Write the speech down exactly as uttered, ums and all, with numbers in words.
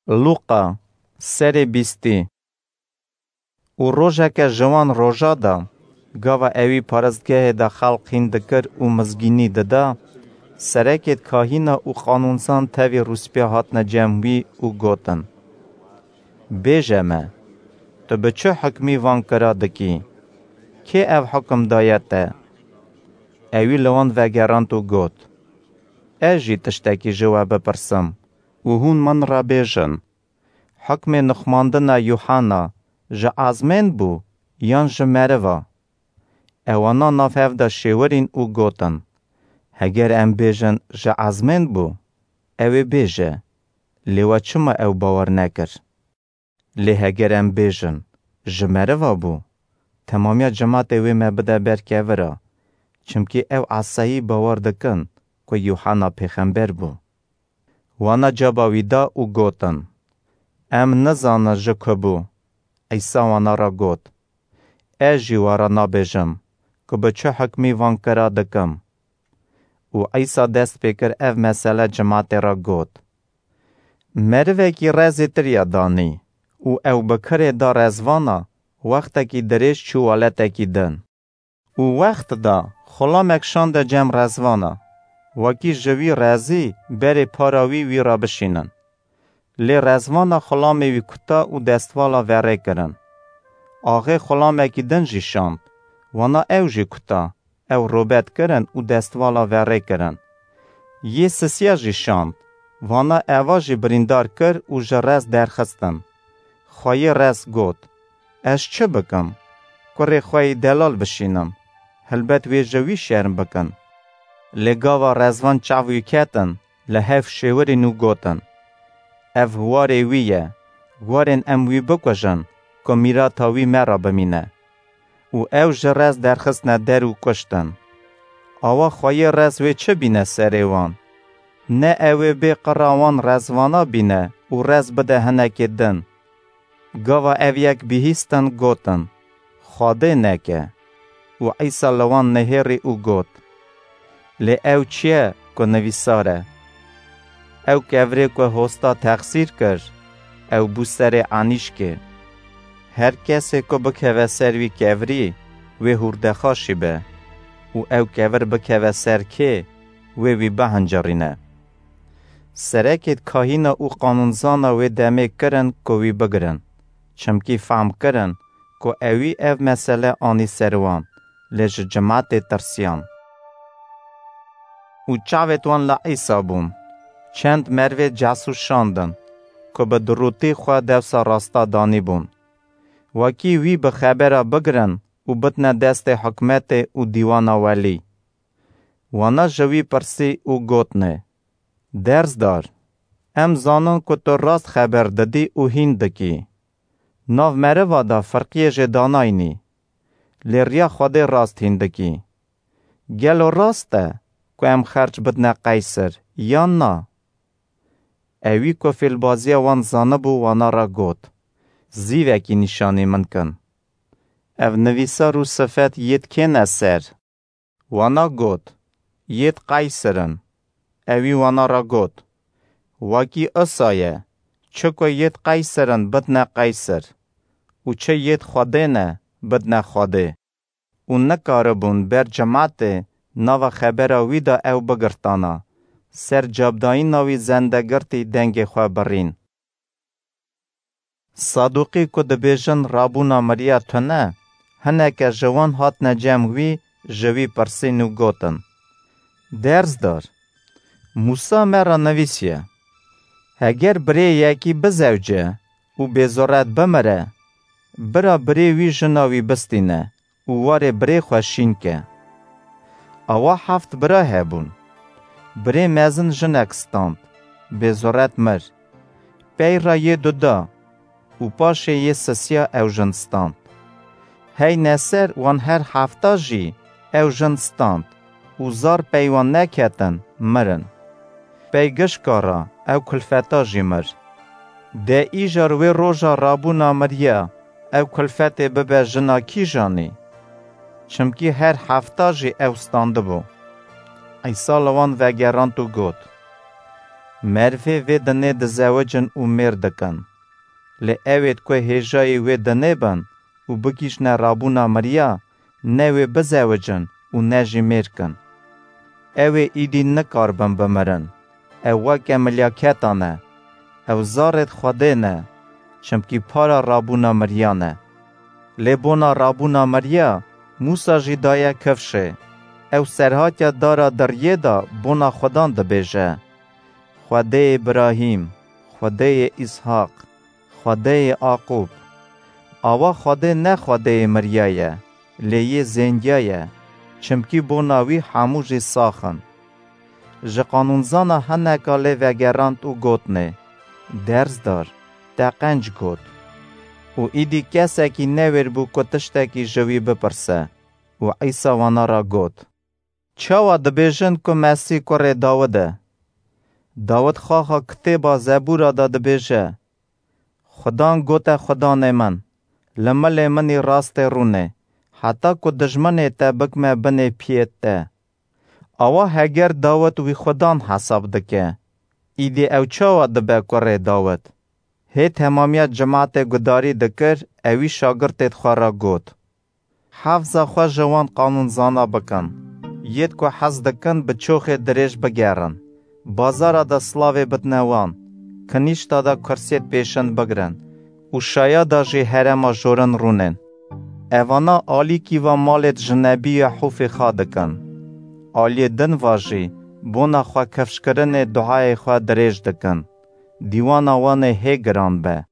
Lûqa, serê bîstî. Û rojeke ji wan roja de, gava ewî paristgehê de xelq hîn dikir û mizgînî dida, serekêd kahîna û qanûnzan tevî rûspîya hatine cem wî û gotin: "Bêje me, tu bi çi hukmî van kira dikî? Kê ev hukum daye te?" Ewî li wan vegerand û got: "Ez jî tiştekî ji we bipirsim û hûn min re bêjin, hukmê nixmandina Yûhana ji ezmên bû yan ji meriva?" Ewana nav hev de şêwirîn û gotin: "Heger em bêjin ji ezmên bû, ew ê bêje, lê we çima ew bawer nekir? Lê heger em bêjin ji meriva bû, temamiya cimatê wê me bide ber kevira, çimkî ew esayî bawer dikin ku Yûhana pêxember bû." Wana caba wî da û gotin: "Em nizanin ji ku bû." Îsa wana re got: "Ez jî we re nabêjim ku bi çi hukmî van kira dikim." Û Îsa dest pê kir ev mesele cimatê re got: "Merivekî rezê tiriya danî û ew bi kirê da rezvana, wextekî dirêj çû weletekî din. Û wext da xulamek şande cem rezvana, wekî ji wî rezî berê para wî wî re bişînin. Lê rezvana xulamê wî kuta û destvala verê kirin. Axê xulamekî din jî şand, wana ew jî kuta, ew robet kirin û destvala verê kirin. Yê sisiya jî şand, wana eva jî birîndar kir û ji rez derxistin. Xweyê rez got: 'Ez çi bikim? Kurê xwe yî delal bişînim? Helbet wê ji wî şerm bikin.' Lê gava rezvan çav wî ketin, li hev şêwirîn û gotin: 'Ev warê wî ye, werin em wî bikujin ku mîrata wî me re bimîne.' Û ew ji rez derxistine der û kuştin. Awa xweyê rez wê çi bîne serê wan? Ne ew ê bê qira wan rezvana bîne û rez bide hinekê din? Gava ev yek bihîstin, gotin: 'Xwedê neke.' Û Îsa li wan nihêrî û got: "Lê ew çi ye ku nivîsar e? Ew kevirê ku hosta texsîr kir, ew bû serê enîşkê. Her kesê ku bikeve ser wî kevirî, wê hûrdexaşî be û ew kevir bikeve ser kê, wê wî bihincirîne." Serekêd kahîna û qanûnzana wê demê kirin ku wî bigirin, çimkî fehm kirin ku ewî ev mesele anî ser wan, lê ji cimatê tirsiyan. Û çavêt wan li Îsa bûn. Çend mervê cesûs şandin ku bi dirûtî xwe dewsa rasta danîbûn, wekî wî bi xebera bigirin û bidine destê hikûmetê û dîwana welî. Wana ji wî pirsî û gotine: "Dersdar, em zanin ku tu rast xeber didî û hîn dikî. Nav meriva de firqiyê jê danaynî, lê riya Xwedê rast hîn dikî. Gelo rast e ku em xerc bidine Qeyser, yan na?" Ewî ku fêlbaziya wan zanibû, wana re got: "Zîvekî nîşanî min kin. Ev nivîsar û sifet yêd kê ne ser?" Wana got: "Yêd Qeyser in." Ewî wana re got: "Wekî isa ye, çi ku yêd Qeyser in bidine Qeyser û çi yêd Xwedê ne bidine Xwedê." Û nikaribûn ber cimatê nava xebera wî de ew bigirtana, ser cabdayîna wî zendegirtî dengê xwe birîn. Saduqî ku dibêjin rabûna miriya tune, hineke ji wan hatine cem wî, ji wî pirsîn û gotin: "Dersdar, Mûsa me re nivîsiye, heger birê yekî bizewce û bêzoret bimire, bira birê wî jina wî bistîne û warê birê xwe şîn ke. Awa heft bira hebûn. Birê mezin jinek stand, bêzoret mir. Pey re yê du da û paşê yê sisiya ew jin stand. Heyne ser wan her hefta jî ew jin stand û zar pey wan neketin, mirin. Pey gişka re ew kulfeta jî mir. De îcar wê roja rabûna miriya ew kulfetê bibe jina kîjanî? Çimkî her hefta jî ew standibû." Îsa li wan vegerand û got: Merivê vê dinê dizewicin û mêr dikin. Lê ewêd ku hêjayî wê dinê bin û bigihîjne rabûna miriya, ne wê bizewicin û ne jî mêr kin. Ewê îdî nikaribin bimirin. Ew weke milyaketan e. Ew zarêd Xwedê ne, çimkî para rabûna miriyan e. Lê bona rabûna miriya, Mûsa jî daye kifşê. Ew serhatiya dara diriyê de bona Xwedan dibêje: Xwedêyê Îbrahîm, Xwedêyê Îshaq, Xwedêyê Aqûb. Awa Xwedê ne Xwedêyê miriya ye, lê yê zêndiya ye, çimkî bona wî hemû jî sax in. Ji qanûnzana hineka lê vegerand û gotnê: Dersdar, te qenc got. Û îdî kesekî newêr bû ku tiştekî ji wî bipirse. Û Îsa wana re got: Çawa dibêjin ku Mesîh kurê Dawid e? Dawid xaxa kitêba Zebûra de dibêje: Xudan gote Xudanê min, li milê min î rastê rûnê, heta ku dijminê te bikme binê piyêt te. Awa heger Dawid wî Xudan hesab dike, îdî ew çawa dibe kurê Dawid? Hê temamiya cimatê gudarî dikir, ewî şagirtêd xwe re got: Hefza xwe ji wan qanûnzana bikin. Yêd ku hez dikin bi çoxê dirêj bigerin. Bazara de silavê bidine wan. Kinîşta de kursiyêd pêşin bigrin û şaya de jî herema jorin rûnên. Evana alîkî va malêd ji nebî Yehûfê xa dikin. Aliyê din va jî bona xwe kifşkirinê duayê xwe dirêj dikin. Dîwana wan ê hê giran be.